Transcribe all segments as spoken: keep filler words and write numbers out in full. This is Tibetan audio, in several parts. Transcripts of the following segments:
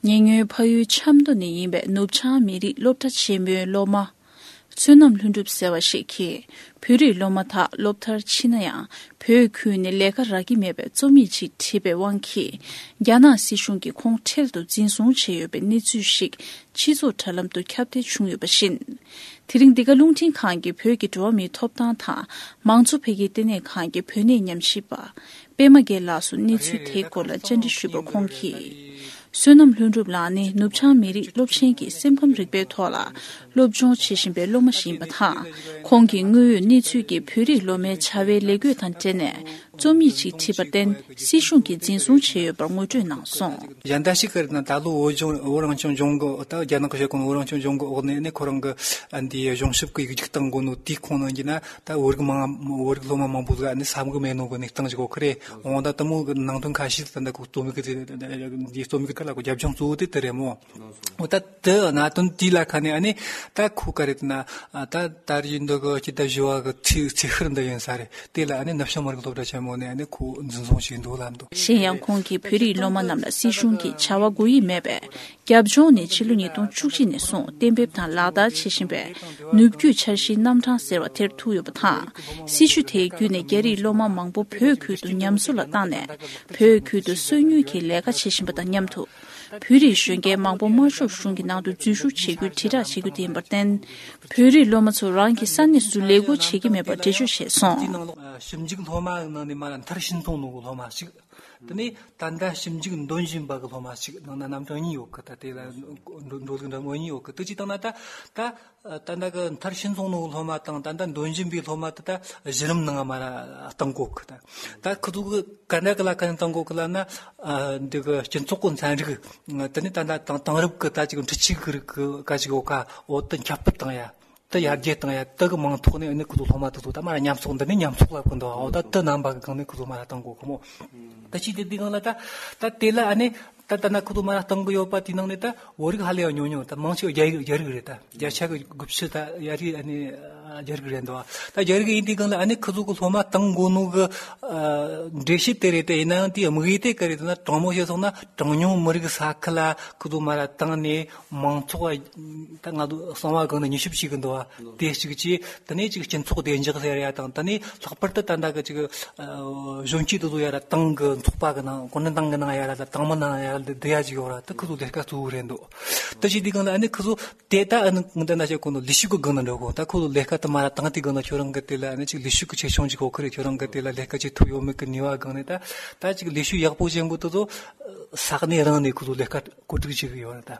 ཉེ་སྔོན་ཕ་ཡུལ་ཆབ་མདོ་ནས་ཡིན་པའི་ནུབ་བྱང་མི་རིགས་སློབ་གྲྭ་ཆེན་མོའི་སློབ་མ། བསོད་ནམས་ལྷུན་གྲུབ་ཟེར་བ་ཞིག་གིས། བོད་རིགས་སློབ་མ་དག་སློབ་མཐར་ཕྱིན་ན་ཡང་། བོད་ཁུལ་ནས་ལས་ཀ་རག་གི་མེད་པའི་རྩོམ་ཡིག་ཅིག་བྲིས་པའི་དབང་གིས། རྒྱ་ནག་སྲིད་གཞུང་གིས་ཁོང་འཕྲལ་དུ་འཛིན་བཟུང་བྱས་ཡོད་པའི་གནས་ཚུལ་ཞིག་སྤྱི་ཚོགས་དྲ་ལམ་དུ་ཁྱབ་གདལ་བྱུང་ཡོད་པ་བཞིན། དེ་རིང་འདི་ག་རླུང་འཕྲིན་ཁང་གིས་བོད་ཀྱི་འགྲོ་བ་མིའི་ཐོབ་ཐང་དང་མང་གཙོ་འཕེལ་རྒྱས་ལྟེ་གནས་ཁང་གི་བོད་གནས་ཉམས་ཞིབ་པ། པད་མ་རྒྱལ་ལགས་སུ་གནས་ཚུལ་དེའི་སྐོར་ལ་བཅར་འདྲི་ཞུས་པར། ཁོང་གིས། བསོད་ནམས་ལྷུན་གྲུབ་ལགས་ནི་ནུབ་བྱང་མི་རིགས་སློབ་ཆེན་གྱི་སེམས་ཁམས་རིག་པའི་ཐོག་ལ་སློབ་སྦྱོང་བྱེད་བཞིན་པའི་སློབ་མ་ཞིག་ཡིན་པ་དང་། ཁོང་གིས་དངོས་ཡོད་གནས་ཚུལ་གྱི་བོད་རིགས་སློབ་མའི་བྱ་བའི་ལས་བགོས་དང་འབྲེལ་ནས་རྩོམ་ཡིག་ཅིག་བྲིས་པར་བརྟེན། སྲིད་གཞུང་གིས་འཛིན་བཟུང་བྱས་ཡོད་པར་ངོ་སྤྲོད་གནང་སོང་། གཞན་དག་ཞིག་གིས་ན་ད་ལོ་བོད་ལྗོངས་བོད་རང་སྐྱོང་ལྗོངས་ཀྱི། ད་རྒྱ་ནག་གི་བྱེད་སྒོ་ནི་བོད་རང་སྐྱོང་ལྗོངས་ཀྱི་འོག་ནས་ནི་ཁོ་རང་གི་ཨ་འདི་གཞུང་ཞབས་ཀྱི་ཡིག་རྒྱུགས་བཏང་དགོས་ནོ་དེའི་ཁོངས་ནང་གི་ན། ད་བོད་རིགས་མང་། བོད་རིགས་སློབ་མ་མང་པོ་ཟིག་ཨ་ནི་ས་མིག་མེད་ནོ་གི་གནས་སྟངས་ཅིག་ཡོད་ཁི་རེད། འོ་ད་དེ་མོ་གི་ནང་དོན་ཁ་ཤས་ད་ད་གོ་རྩོམ་ཡིག་གི་འདི་རྩོམ་ཡིག་གི་ཐད་ལ་གོ་རྒྱབ་ལྗོངས་གཙོ་བོ་དེ་དེ་རེད་མོ། འོ་ད་དེ་གནད་དོན་དེ་ལ་ཁ་ནས་ཨ་ནི་ད་ཁོ་ག་རེད་ན། ད་ད་རེས་འདི་གི་སྤྱི་ཟླ་བཞི་བ་གི་ཚེས་ཚེས་ཤར་འདི་ཡིན་ས་རེད། དེ་ལ་ཨ་ནི་ནུབ་བྱང་མི་རིགས་སློབ་གྲྭ་ཆེན་མོ་ནས་ཨ་ནི་ཁོ་འཛིན་བཟུང་བྱས་འདུག་ལབ་འདུག། གཞན་ཡང་ཁོང་གིས་བོད་རིགས་སློབ་མ་རྣམས་ལ་སྲིད་གཞུང་གིས་བྱ་བ་དགོས་ཡིག་མེད་པའི་རྒྱབ་ལྗོངས་ནས་ཕྱི་ལོ་ཉིས་སྟོང་བཅུ་གཅིག་ནས་བཟུང་གཏན་འབེབས་དང་ལག་བསྟར་བྱེད་བཞིན་པའི་ནུབ་རྒྱུད་འཆར་གཞིའི་རྣམ་གྲངས་ཟེར་བ་དེར་ཐུག་ཡོད་པ་དང་། སྲིད་བྱུས་དེའི་བརྒྱུད་ནས་རྒྱ་རིགས་སློབ་མ་མང་པོ་བོད་ཁུལ་དུ་ཉམས་གསོ་ལ་བཏང་ནས། བོད་ཁུལ་དུ་སོ་ཉུལ་གྱིས་ལས་ཀ་བྱེད་བཞིན་པ་དང་མཉམ་དུ། བོད་རིགས་གཞོན་སྐྱེས་མང་པོ་དམར་ཤོག་གཞུང་གི་ནང་དུ་འཛུལ་ཞུགས་བྱེད་རྒྱུའི་དྲིལ་བསྒྲགས་བྱེད་རྒྱུ་དེ་ཡིན་པར་བརྟེན། བོད་རིགས་སློབ་མ་ཚོ་རང་གི་ས་གནས་སུ་ལས་སྒོ་བྱེད་ཀྱི་མེད་པར་འགྲེལ་བརྗོད་བྱས་སོང་། དེའི་ནང་ལོགས་ཞིབ་འཇུག་སློབ་མ་ནང་ནས་མར་མཐར་ཕྱིན་སོང་ནོ་གི་སློབ་མ་ཞིག། དེ་ནས་ད་ལྟ་ཞིབ་འཇུག་འདོན་བཞིན་པ་གི་སློབ་མ་ཞིག་ནང་ན་རྣམ་གྲངས་གཉིས་ཡོད་གི། ད་དེ་ལ་འགྲོ་འགྲོ་ལུགས་འདྲ་མོ་གཉིས་ཡོད་གི། དེ་ཅིག་བཏང་ན་ད་ད་ད་ལྟ་གི་མཐར་ཕྱིན་སོང་ནོ་གི་སློབ་མ་དང་ད་ལྟ་འདོན་བཞིན་པའི་སློབ་མ་དེ་ད་གཞི་རིམ་ནང་མར་བཏང་གོ་གི། ད་ད་ཁོ་ཚོ་གི་ག་འདྲ་གི་ལ་ག་ནས་བཏང་གོ་གི་ལབ་ན། ཨ་འདི་གི་སྤྱི་ཚོགས་གི་ཚན་རིག། དེ་ནས་ད་ལྟ་དེང་དེང་རབས་གི་ད་ཅིག་འཕྲུལ་ཆས་གི་རིགས་གི་ག་ཅིག་ཡོད་ཀ། འོ་དེ་ཁྱབ་སྤེལ་བཏང་ཡ། དེ་ཡར་རྒྱས་བཏང་ཡ། དེ་གི་མིང་ཐོག་ནས་ཨ་ནི་ཁོ་ཚོ་སློབ་མ་དེ་ཚོ་ད་མར་ཉམས་གསོག་འདི་ནས་ཉམས་གསོག་ལབ་གི་འདུག། འོ་ད་དེ་རྣམ་པ་གི་སྒང་ནས་ཁོ་ཚོ་མར་བཏང་གོ་གི་མོ། ད་ཅི་དེ་དེ་སྒང་ལ་ད་ད་དེ་ལ་ཨ་ནི་ད་ད་ན་ཁོ་ཚོ་མར་བཏང་གི་ཡོད་པ་དེའི་ནང་ནས་ད་བོད་རིགས་ཧ་ལས་ཡང་ཉུང་ཉུང་། ད་མང་ཆེ་བ་རྒྱ་ཡིག་རྒྱ་རིགས་རེད། ད་བརྒྱ་ཆ་གི་དགུ་བཅུ་ད་ཡར་རྒྱས་ཨ་ནི་རྒྱ་རིགས་རེད་འདུག། ད་རྒྱ་རིགས་ཡིན་དུས་སྒང་ལ་ཨ་ནི་ཁོ་ཚོ་གི་སློབ་མ་བཏང་དགོས་ནོ་གི་འགྲེལ་བཤད་དེ་རེད། དེ་ཡིན་ན་ཡང་དེའི་དམིགས་ཡུལ་དེ་ག་རེ་རེད་ན། དྲང་མོ་བཤད་སོང་ན་གྲངས་ཉུང་མི་རིགས་ས་ཁུལ་ལ་ཁོ་ཚོ་མར་བཏང་ནས་མང་ཚོགས་ད་ང་ཚོ་གསང་བ་སྒང་ནས་མྱུལ་ཞིབ་བྱེད་གི་འདུག་བ། དེ་གཅིག་བྱས། དེ་ནས་ཅིག་སྤྱི་ཚོགས་བདེ་འཇགས་ཟེར་ཡ་དང་། དེ་ནས་ལྷག་པར་དུ་ད་ལྟ་གི་ཅིག་གཞོན་སྐྱེས་དེ་ཚོ་ཡར་ཏང་གི་ཚོགས་པ་གི་ནང་། གུང་ཁྲན་ཏང་གི་ནང་ཡར་ལ་ཏང་མི་ནང་ཡར་ལ་བསྡུ་ཡ་ཅིག་ཡོད་ར། དེ་ཁོ་ཚོ་ལས་ཀ་གཙོ་བོ་རེད་འདུག། དེ་བྱེད་དུས་སྒང་ལ་ཨ་ནི་ཁོ་ཚོ་དེ་ད་ཨ་ནི་ངོ་དེ་ན་བྱེད་གོ་ནོ་ལས་ཞུགས་གི་སྒང་ན་འགྲོ་གོ། ད་ཁོ་ཚོ་ལས་ཀ་དེ་མར་བཏང་དུས་སྒང་ན་ཁྱོད་རང་གི་དེ་ལ་ཨ་ནི་ཅིག་ལས་ཞུགས་གི་ཆེ་ཆུང་ཅིག་གོ་ཁི་རེད། ཁྱོད་རང་གི་དེ་ལ་ལས་ཀ་ཅིག་ཐུབ་ཡོད་མེད་གི་ནུས་པ་སྒང་ནས། ད་ད་ཅིག་ལས་ཞུགས་ཡག་པོ་བྱེད་གོ་དེ་ཚོ་ས་གནས་རང་ནས་ཁོ་ཚོ་ལས་ཀ་བཀོད་སྒྲིག་བྱེད་གི་ཡོད་ར། ད་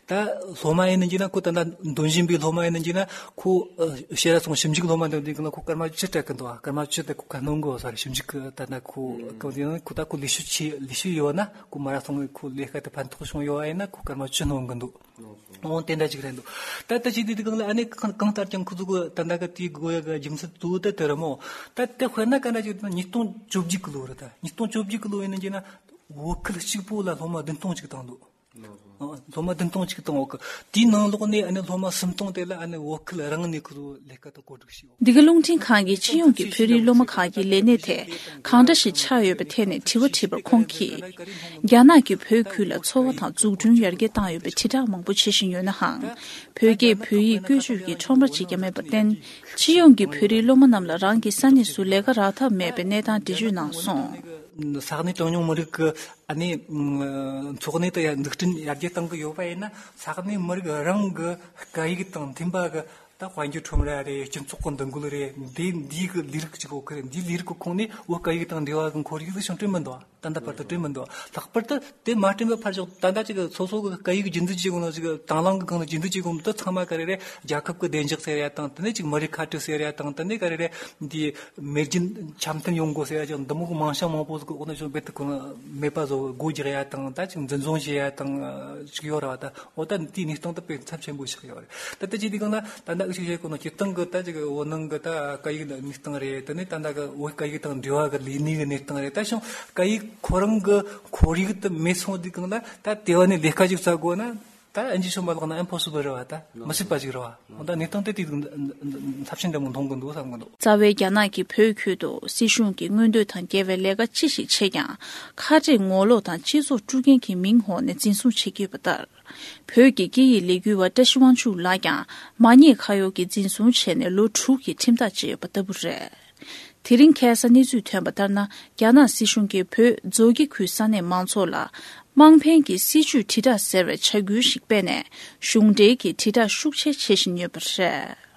ད་སློབ་མ་ཡིན་ནི་ཅིག་ན་ཁོ་ད་ད་འདོན་བཞིན་པའི་སློབ་མ་ཡིན་ནི་ཅིག་ན་ཁོ་ཨ་ཤེས་ར་སོང་། ཞིབ་འཇུག་སློབ་མ་འདོན་དུས་སྒང་ལ་ཁོ་སྐར་མ་བཅུ་སྤྲད་གི་འདུག། ཨ་སྐར་མ་བཅུ་དེ་ཁོ་ཁ་སྣོན་གི་ཡོད་ས་རེད། ཞིབ་འཇུག་གི་ད་ད་ཁོ་གང་ཡིན་ན་ཁོ་ད་ཁོ་ལས་ཞུགས་ཆེ་ལས་ཞུགས་ཡོད་ན་ཁོ་མར་སོང་གི། ཁོ་ལས་ཀ་དེ་ཕན་ཐོགས་བྱུང་ཡོད་པ་ཡིན་ན་ཁོ་སྐར་མ་བཅུ་སྣོན་གི་འདུག། འོ་དེ་འདྲ་ཅིག་རེད་འདུག། ད་ལྟ་ཅིག་དེ་དུས་སྒང་ལ་ཨ་ནི་གང་གང་ལྟར་ཀྱང་ཁོ་ཚོ་གི་ད་ལྟ་གི་དེའི་དགོས་ཡ་གི་རྒྱུ་མཚན་གཙོ་བོ་དེ་དེ་རེད་མོ། ད་དེ་དཔེར་ན་ག་འདྲ་ཅིག་ན་ཉིས་སྟོང་བཅོ་བརྒྱད་གི་ལོ་རེད། ད་ཉིས་སྟོང་བཅོ་བརྒྱད་གི་ལོ་ཡིན་ན་ཅིག་ན་བོད་ཁུལ་གཅིག་པོ་ལ་སློབ་མ་བདུན་སྟོང་ཅིག་བཏང་འདུག། ཨ་སློབ་མ་བདུན་སྟོང་ཅིག་བཏང་འོག་གི། དེའི་ནང་ལོགས་ནས་ཨ་ནི་སློབ་མ་སུམ་སྟོང་དེ་ལ་ཨ་ནི་བོད་ཁུལ་རང་ནས་ཁོ་ཚོ་ལས་ཀ་དང་བཀོད་སྒྲིག་བྱས་ཡོད། འདི་ག་རླུང་འཕྲིན་ཁང་གིས་སྤྱི་ཡོངས་ཀྱི་བོད་རིགས་སློབ་མ་ཁག་གི་ལས་གནས་དེ་གང་འདྲ་ཞིག་ཆགས་ཡོད་པའི་ཐད་ནས་དྲི་བ་དྲིས་པར། ཁོང་གིས། རྒྱ་ནག་གིས་བོད་ཁུལ་ལ་འཚོ་བ་དང་འཛུགས་སྐྲུན་ཡར་རྒྱས་བཏང་ཡོད་པའི་དྲིལ་བསྒྲགས་མང་པོ་བྱེད་བཞིན་ཡོད་ནའང་། བོད་སྐད་བོད་ཡིག་བཀོལ་སྤྱོད་ཀྱི་ཁྲོམ་ར་ཅིག་ཀྱང་མེད་པར་བརྟེན། སྤྱི་ཡོངས་ཀྱི་བོད་རིགས་སློབ་མ་རྣམས་ལ་རང་གི་ས་གནས་སུ་ལས་ཀ་རག་ཐབས་མེད་པའི་གནས་སྟངས་འགྲེལ་བརྗོད་གནང་སོང་། ས་གནས་གྲངས་ཉུང་མི་རིགས་ཀྱི་ཨ་ནི་འཚོ་གནས་དང་ཡང་འཛུགས་སྐྲུན་ཡར་རྒྱས་གཏང་གི་ཡོད་པ་ཡིན་ན། ས་གནས་མི་རིགས་རང་གི་སྐད་ཡིག་དང་མཐུན་པ་གི་ད་དཔལ་འབྱོར་ཁྲོམ་ར་རེད། སྤྱི་ཚོགས་ཀྱི་འདུ་འགོད་རེད། འདི་འདི་གི་ལས་རིགས་གཅིག་ཡོད་གི་རེད། འདིའི་ལས་རིགས་ཀྱི་ཁོངས་ནས་བོད་སྐད་ཡིག་དང་འབྲེལ་བ་གི་ཁོར་ཡུག་ཅིག་བསྐྲུན་མི་འདུག། ད་ལྟ་བར་དུ་བསྐྲུན་མི་འདུག། ལྷག་པར་དུ་དེ་མ་བསྐྲུན་པའི་ཕར་ཕྱོགས་ད་ལྟ་ཅིག་སོ་སོ་གི་སྐད་ཡིག་རྒྱུན་འཛིན་བྱེད་དགོས་ན། ཅིག་དང་བླངས་གི་སྒང་ནས་རྒྱུན་འཛིན་བྱེད་དགོས་མི་འདུག། ཚང་མ་ག་རེ་རེད། རྒྱལ་ཁབ་ཀྱི་བདེ་འཇགས་ཟེར་ཡ་དང་། དེ་ནས་ཅིག་མི་རིགས་ཁ་བྲལ་ཟེར་ཡ་དང་། དེ་ནས་ག་རེ་རེད། འདི་མེས་རྒྱུད་འཆམ་མཐུན་ཡོང་དགོས་ཟེར་ཡ་ཅིག་འདི་མོ་གི་མིང་བྱང་མང་པོ་ཟིག་གི་འོག་ནས་ཅིག་རྦད་དེ་ཁོ་ན་མེད་པ་བཟོ། སྒོ་རྒྱག་ཡ་དང་། ད་ཅིག་འཛིན་བཟུང་བྱེད་ཡ་དང་ཅིག་ཡོད་ར་བ། ད་འོ་ད་དེའི་གནས་སྟངས་དེ་དཔེ་ཚབས་ཆེན་པོ་ཆགས་ཡོད་རེད། ད་ལྟ་ཅིག་དེ་གང་ན་ད་ལྟ་འུ་ཅག་བཤད་གོ་ནོ་སྤྱིར་བཏང་གི་ད་ཅིག་བོད་ནང་གི་ད་སྐད་ཡིག་གི་གནས་སྟངས་རེད། དེ་ནས་ད་ལྟ་གི་བོད་སྐད་ཡིག་དང་འབྲེལ་བ་གི་ལས་གནས་གི་གནས་སྟངས་རེད། ད་བྱུང་སྐད་ཡིག་ཁོ་རང་གི་ཁོར་ཡུག་དེ་མེད་སོང་དུས་སྒང་ལ་ད་དེ་བ་ནས་ལས་ཀ་ཅིག་བཙལ་དགོས་ན། ད་ཨན་ཇི་ཆོན་པ་ལགས་ན་ཨིམ་པོ་སི་བལ་རེད་བ། ད་མི་སྲིད་པ་ཅིག་རེད་བ། འོ་ད་གནས་སྟངས་དེ་དུས་འཚབ་ཆེན་འདྲ་མོ་མཐོང་གི་འདུག་བསམ་གི་འདུག་རྩ་བའི་རྒྱ་ནག་གིས་བོད་ཁུལ་དུ་སྲིད་གཞུང་གི་མངོན་འདོད་དང་འགལ་བའི་ལས་ཀ་ཅི་ཞིག་བྱས་ཀྱང་། ཁ་བྲལ་ངོ་ལོག་དང་སྤྱི་ཚོགས་དཀྲུག་མཁན་གྱི་མིང་འོག་ནས་འཛིན་བཟུང་བྱེད་ཀྱི་ཡོད་པ་ལྟར། བོད་ཀྱི་སྐད་ཡིག་ལས་འགུལ་བ་བཀྲ་ཤིས་དབང་ཕྱུག་ལགས་ཀྱང་མ་ཉེས་ཁ་གཡོག་གིས་འཛིན་བཟུང་བྱས་ནས་ལོ་དྲུག་གི་ཁྲིམས་ཐག་བཅད་ཡོད་པ་ལྟ་བུ་རེད། དེ་རིང་ཁ་སང་གནས་ཚུལ་ཐོན་པ་ལྟར་ན། རྒྱ་ནག་སྲིད་གཞུང་གིས་བོད་མཛོ་སྐྱེ་ཁུལ་ས་གནས་མང་ཚོགས་ལ་དམངས་ཕན་གྱི་སྲིད་ཇུས་དྲིལ་བསྒྲགས་ཟེར་བའི་བྱ་འགུལ་ཞིག་སྤེལ་ནས། གཞུང་འབྲེལ་གྱི་དྲིལ་བསྒྲགས་ཤུགས་ཆེ་བྱེད་བཞིན་ཡོད་པ་རེད།